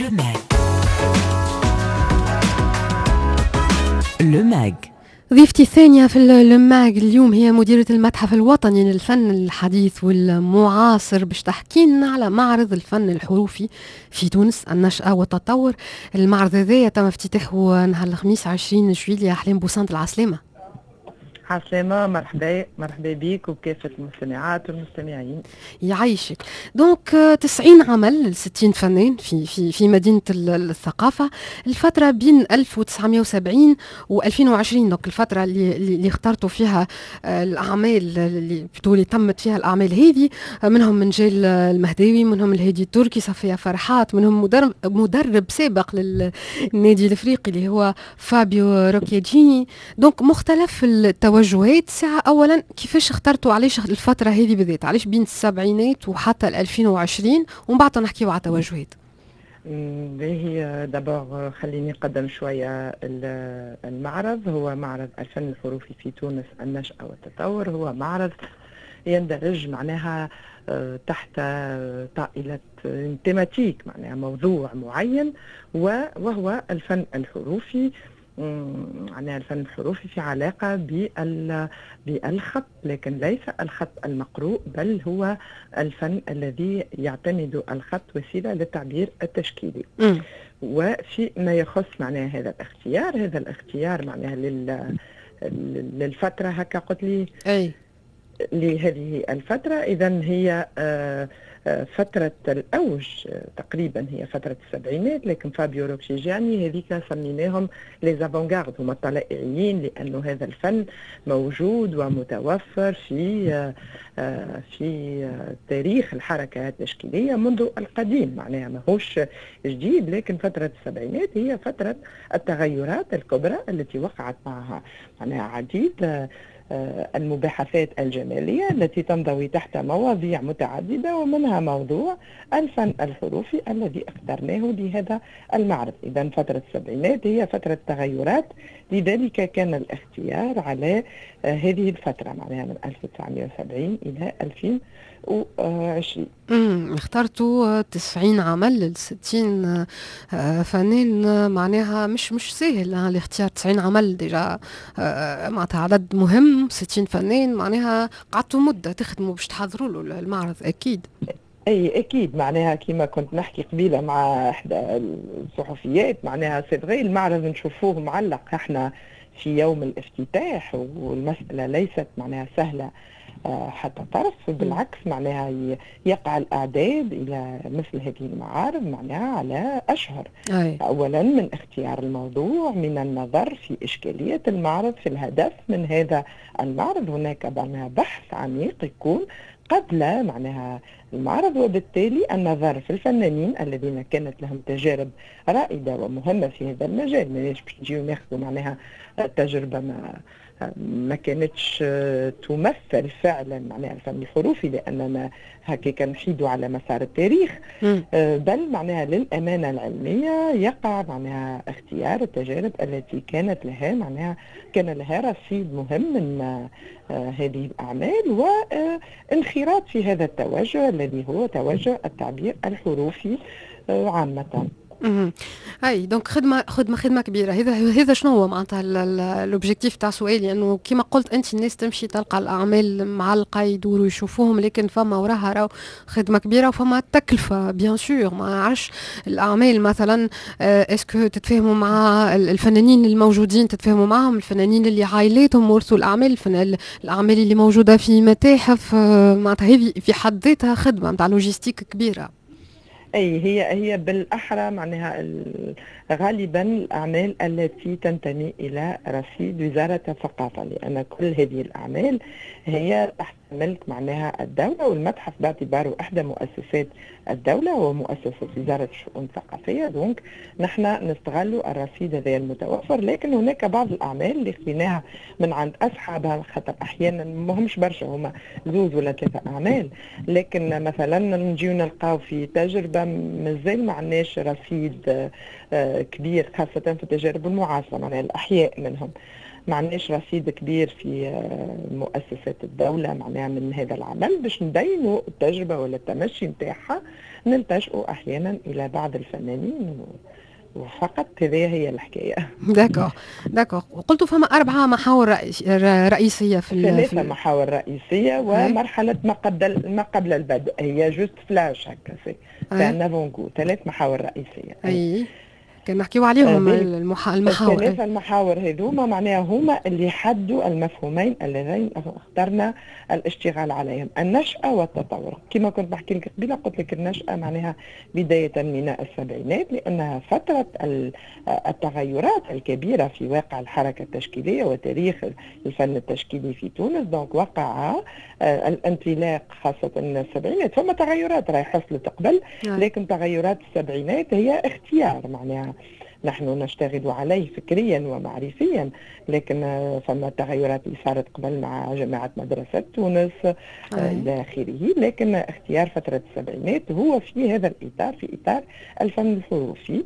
Le Mag. Le Mag. ضيفتي الثانية في Le Mag اليوم هي مديرة المتحف الوطني للفن الحديث والمعاصر، باش تحكي لنا على معرض الفن الحروفي في تونس، النشأة والتطور. المعرض هذايا تم افتتاحه نهار الخميس 20 جويلية. أحلام بوسنت، العسلامة. عسلامة، مرحبا، مرحبا بك وبكافة المستمعات والمستمعين. يعيشك. donc 90 عمل ل 60 فنان في مدينة الثقافة، الفترة بين 1970 و 2020، donc الفترة اللي اخترتوا فيها الأعمال، اللي تمت فيها الأعمال هذه، منهم منجال المهداوي، منهم الهادي التركي، صفية فرحات، منهم مدرب سابق للنادي الافريقي اللي هو فابيو روكيجيني. donc مختلف التوجهات. ساعة أولا كيفاش اخترتوا، علاش الفترة هذه بالذات، علاش بين السبعينات وحتى 2020، ومن بعد نحكيو على التوجهات. باهي، d'abord خليني نقدم شوية المعرض. هو معرض الفن الحروفي في تونس، النشأة والتطور. هو معرض يندرج معناها تحت طائلة thématique، معناها موضوع معين، وهو الفن الحروفي، معناها الفن الحروفي في علاقة بالخط، لكن ليس الخط المقروء، بل هو الفن الذي يعتمد الخط وسيلة للتعبير التشكيلي. وفي ما يخص معناها هذا الاختيار معناها للفترة هكا قلت لي؟ أي. لهذه الفترة، إذا هي فترة الأوج تقريبا هي فترة السبعينات، لكن فابيو روكشيجاني هذيك سميناهم les avant-gardes، هما الطلائعيين، لأنه هذا الفن موجود ومتوفر في تاريخ الحركة التشكيلية منذ القديم، معناها ماهوش جديد، لكن فترة السبعينات هي فترة التغيرات الكبرى التي وقعت معها معناها عديد المباحثات الجمالية التي تنضوي تحت مواضيع متعددة، ومنها موضوع الفن الحروفي الذي اخترناه لهذا المعرض. إذا فترة السبعينات هي فترة تغيرات، لذلك كان الاختيار على هذه الفترة، معناها من 1970 إلى 2020. اخترتوا 90 عمل ل 60 فنان، معناها مش سهل الاختيار. 90 عمل déjà معناتها عدد مهم، 60 فنان، معناها قعدتوا مدة تخدموا باش تحضروا له المعرض أكيد. اي اكيد، معناها كما كنت نحكي قبيلة مع احدى الصحفيات، معناها c'est vrai المعرض نشوفوه معلق احنا في يوم الافتتاح، والمسالة ليست معناها سهلة حتى طرف، بالعكس معناها يقع الأعداد إلى مثل هذه المعارض معناها على أشهر. أولا من اختيار الموضوع، من النظر في إشكالية المعرض، في الهدف من هذا المعرض، هناك معناها بحث عميق يكون قبل معناها المعرض، وبالتالي النظر في الفنانين الذين كانت لهم تجارب رائدة ومهمة في هذا المجال. ماناش باش نجيو ناخذوا معناها تجربة ما كانتش تمثل فعلا معناها الفن الحروفي، لاننا هكاك نحيدوا على مسار التاريخ، بل معناها للامانة العلمية يقع معناها اختيار التجارب التي كانت لها معناها كان لها رصيد مهم من هذه الاعمال وانخراط في هذا التوجه الذي هو توجه التعبير الحروفي عامه. اي، donc خدمة خدمة خدمة كبيره. هذا شنو هو معناتها l'objectif تاع سؤالي، انه كما قلت انت الناس تمشي تلقى الاعمال معلقه، يدوروا يشوفوهم، لكن فما وراها راهو خدمة كبيرة وفما تكلفة bien sûr. ما عرفش الاعمال مثلا est-ce que تتفاهموا مع الفنانين الموجودين، تتفاهموا معهم، الفنانين اللي عائلاتهم ورثوا الاعمال، الاعمال اللي موجودة في متاحف، معناتها هذه في حد ذاتها خدمة نتاع logistique كبيره. اي، هي بالاحرى معناها غالبا الاعمال التي تنتمي الى رصيد وزارة الثقافه، لان كل هذه الاعمال هي تحت ملك معناها الدوله، والمتحف باعتباره احدى مؤسسات الدولة ومؤسسة وزارة الشؤون الثقافيه، donc نحن نستغل الرصيد هذا المتوفر. لكن هناك بعض الاعمال اللي خذيناها من عند اصحابها، خاطر احيانا ما همش برشا، هما زوز ولا ثلاثة اعمال، لكن مثلا نجيو نلقاو في تجربه مازال ما عندناش رصيد كبير، خاصة في التجارب المعاصرة، معناها الأحياء منهم ما عندناش رصيد كبير في مؤسسات الدولة معناها من هذا العمل باش نبينوا التجربة ولا التمشي نتاعها. نلتجئ أحيانا إلى بعض الفنانين وفقط. هذه هي الحكاية. d'accord d'accord. وقلتوا فما 4 محاور رئيسية في 3 محاور رئيسية ومرحلة ما قبل البدء، هي juste flash هكا، c'est un avant-goût. 3 محاور رئيسية. اي كان نحكيو عليهم المحاور. 3 المحاور هذوما معناها هما اللي حدوا المفهومين اللذين اخترنا الاشتغال عليهم، النشأة والتطور. كما كنت بحكي لك قبيلة، قلت لك النشأة معناها بداية من السبعينات، لأنها فترة التغيرات الكبيرة في واقع الحركة التشكيلية وتاريخ الفن التشكيلي في تونس. donc وقع الانطلاق خاصة من السبعينات، ثم تغيرات راهي حصلت قبل، لكن تغيرات السبعينات هي اختيار معناها نحن نشتغل عليه فكريا ومعرفيا، لكن فما تغيرات اللي صارت قبل مع جامعة مدرسة تونس إلى آخره، لكن اختيار فترة السبعينات هو في هذا الإطار، في إطار الفن الحروفي.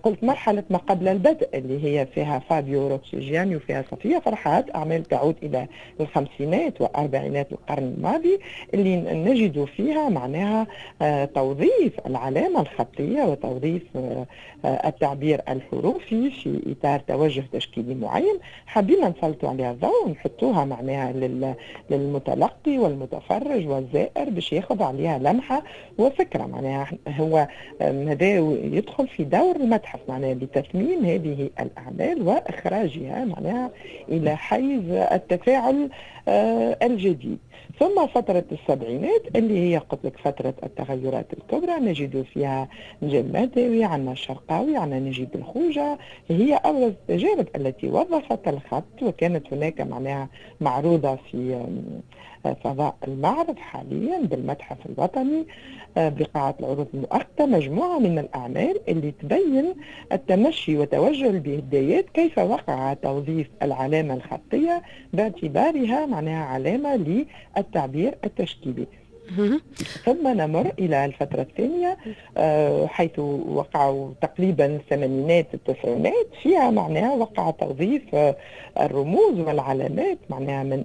قلت مرحلة ما قبل البدء اللي هي فيها فابيو روكسيجياني وفيها صفية فرحات، أعمال تعود إلى الخمسينات وأربعينات القرن الماضي، اللي نجد فيها معناها توظيف العلامة الخطية وتوظيف التعبير الحروفي في إطار توجه تشكيلي معين. حبينا نسلطوا عليها الضوء ونحطوها معناها للمتلقي والمتفرج والزائر باش ياخذ عليها لمحة وفكرة. معناها هو هذا يدخل في دور المتحف معناها بتثمين هذه الأعمال وإخراجها معناها إلى حيز التفاعل الجديد. ثم فترة السبعينات اللي هي قلت لك فترة التغيرات الكبرى، نجد فيها نجيب المهداوي، عندنا الشرقاوي، عندنا نجيب الخوجة، هي أبرز التجارب التي وظفت الخط، وكانت هناك معناها معروضة في فضاء المعرض حاليا بالمتحف الوطني بقاعة العروض المؤقتة مجموعة من الأعمال اللي تبين التمشي وتوجه البدايات، كيف وقع توظيف العلامة الخطية باعتبارها معناها علامة للتعبير التشكيلي. ثم نمر إلى الفترة الثانية حيث وقعوا تقريبا الثمانينات التسعينات، فيها معناها وقع توظيف الرموز والعلامات معناها من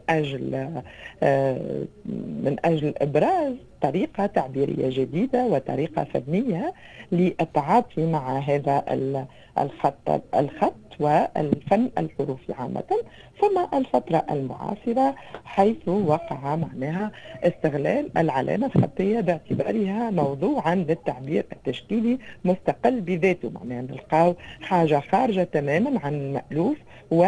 أجل إبراز طريقة تعبيرية جديدة وطريقة فنية للتعاطي مع هذا الخط والفن الحروفي عامة. ثم الفترة المعاصرة حيث وقع معناها استغلال العلامة الخطية باعتبارها موضوعا للتعبير التشكيلي مستقل بذاته، معناها نلقاو حاجة خارجة تماما عن المألوف و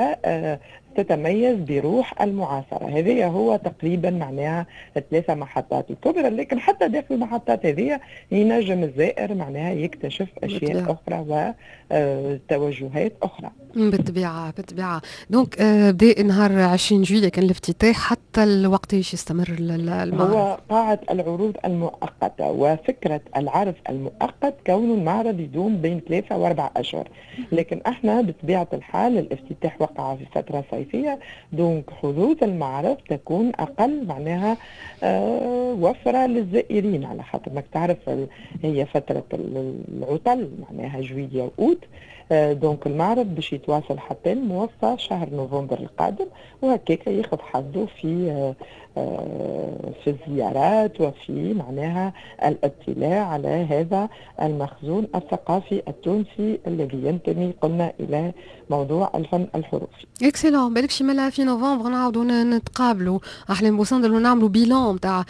تتميز بروح المعاصرة. هذه هو تقريبا معناها 3 محطات الكبرى، لكن حتى داخل المحطات هذه ينجم الزائر معناها يكتشف أشياء أخرى وتوجهات أخرى. بالطبيعة بالطبيعة. donc بدا نهار 20 جويلية كان الافتتاح، حتى الوقت يستمر المعرض؟ هو قاعة العروض المؤقتة، وفكرة العرض المؤقت كون المعرض يدوم بين 3 و4 أشهر، لكن احنا بطبيعة الحال الافتتاح وقع في فترة صيفية، donc حظوظ المعرض تكون أقل معناها وفرة للزائرين، على خاطر ماك تعرف هي فترة العطل معناها جويلية وأوت، donc المعرض باش يتواصل حتى الموفى شهر نوفمبر القادم، وهكاك ياخذ حظه في الزيارات وفي معناها الاطلاع على هذا المخزون الثقافي التونسي الذي ينتمي قلنا الى موضوع الفن الحروفي. excellent. بالك شي مالا في نوفمبر نعاودوا نتقابلوا احلام بوصندل ونعملوا bilan تاع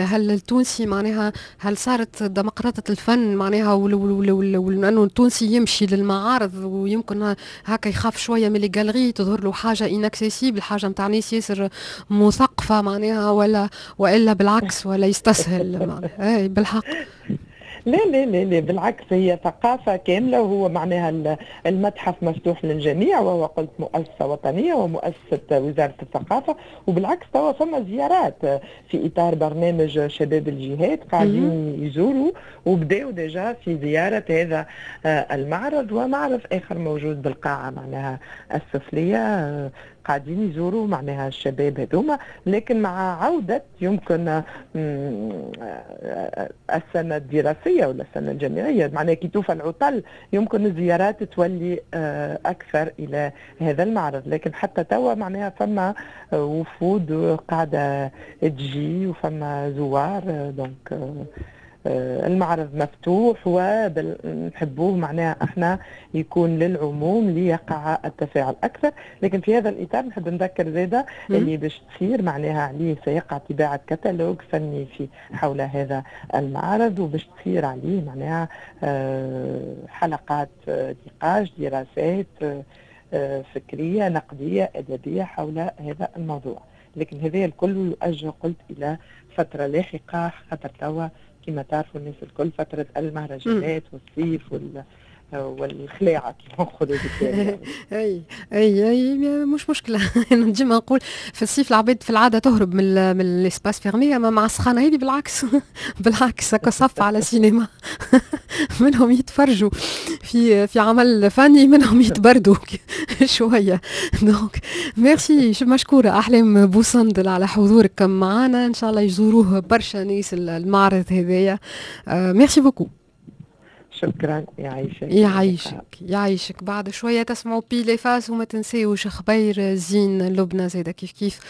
هل التونسي معناها هل صارت ديمقراطية الفن معناها، وانه التونسي يمشي للمعارض ويمكن هكا يخاف شوية من les galeries، تظهر له حاجة inaccessible، حاجة نتاع ناس ياسر مثقفة معناها، ولا والا بالعكس ولا يستسهل معناها. اي بالحق. لا لا لا لا، بالعكس هي ثقافة كاملة، وهو معناها المتحف مفتوح للجميع، وهو قلت مؤسسة وطنية ومؤسسة وزارة الثقافة، وبالعكس توا فما زيارات في إطار برنامج شباب الجهات قاعدين يزوروا وبداوا déjà في زيارة هذا المعرض، ومعرض آخر موجود بالقاعة معناها السفلية قاعدين يزوروا معناها الشباب هذوما. لكن مع عودة يمكن السنة الدراسية ولا السنة الجامعية معناها كي توفى العطل يمكن الزيارات تولي أكثر إلى هذا المعرض، لكن حتى توا معناها فما وفود قاعدة تجي وفما زوار، donc المعرض مفتوح ونحبوه معناها احنا يكون للعموم ليقع التفاعل اكثر. لكن في هذا الاطار نحب نذكر زاده اللي باش تصير معناها عليه سيقع طباعه كتالوج فني في حول هذا المعرض، وباش تصير عليه معناها حلقات نقاش، دراسات فكرية نقدية ادبية حول هذا الموضوع. لكن هذا الكل يؤجل قلت الى فترة لاحقه، خاطر توا كما تعرفوا الناس الكل فترة المهرجانات والصيف والخلاعة كما نقولوا. اي، مش مشكله. ديما نقول في الصيف العباد في العادة تهرب من l'espace fermé، اما مع السخانه هذه بالعكس بالعكس، هكا صف على سينما، منهم يتفرجوا في عمل فني، منهم يتبردوا شويه. donc merci، مشكورة احلام بوصندل على حضورك معنا. ان شاء الله يزوروه برشا ناس المعرض هذايا. merci beaucoup. شكرا، يعيشك. يعيشك يعيشك. بعد شوية تسمعوا Pile et Face، وما تنساوش خبير زين لبنى زايدة كيف كيف.